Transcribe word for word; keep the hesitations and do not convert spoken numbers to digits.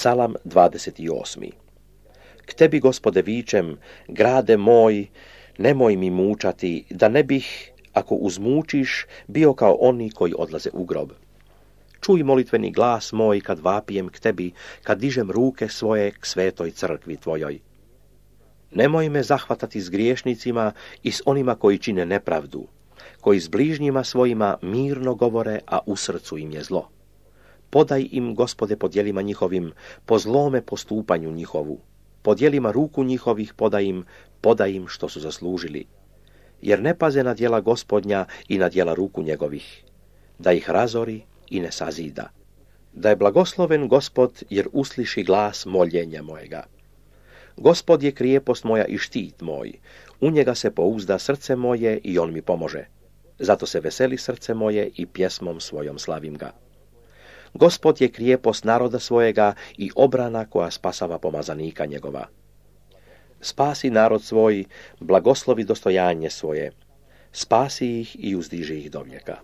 Psalam dvadeset osmi. K tebi, Gospode, vičem, grade moj, nemoj mi mučati, da ne bih, ako uzmučiš, bio kao oni koji odlaze u grob. Čuj molitveni glas moj kad vapijem k tebi, kad dižem ruke svoje k svetoj crkvi tvojoj. Nemoj me zahvatati s griješnicima i s onima koji čine nepravdu, koji s bližnjima svojima mirno govore, a u srcu im je zlo. Podaj im, Gospode, po djelima njihovim, po zlome postupanju njihovu. Po djelima ruku njihovih podaj im, podaj im što su zaslužili. Jer ne paze na djela Gospodnja i na djela ruku njegovih, da ih razori i ne sazida. Da je blagosloven Gospod, jer usliši glas moljenja mojega. Gospod je krijepost moja i štit moj, u njega se pouzda srce moje i on mi pomože. Zato se veseli srce moje i pjesmom svojom slavim ga. Gospod je krijepost naroda svojega i obrana koja spasava pomazanika njegova. Spasi narod svoj, blagoslovi dostojanje svoje, spasi ih i uzdiži ih do vijeka.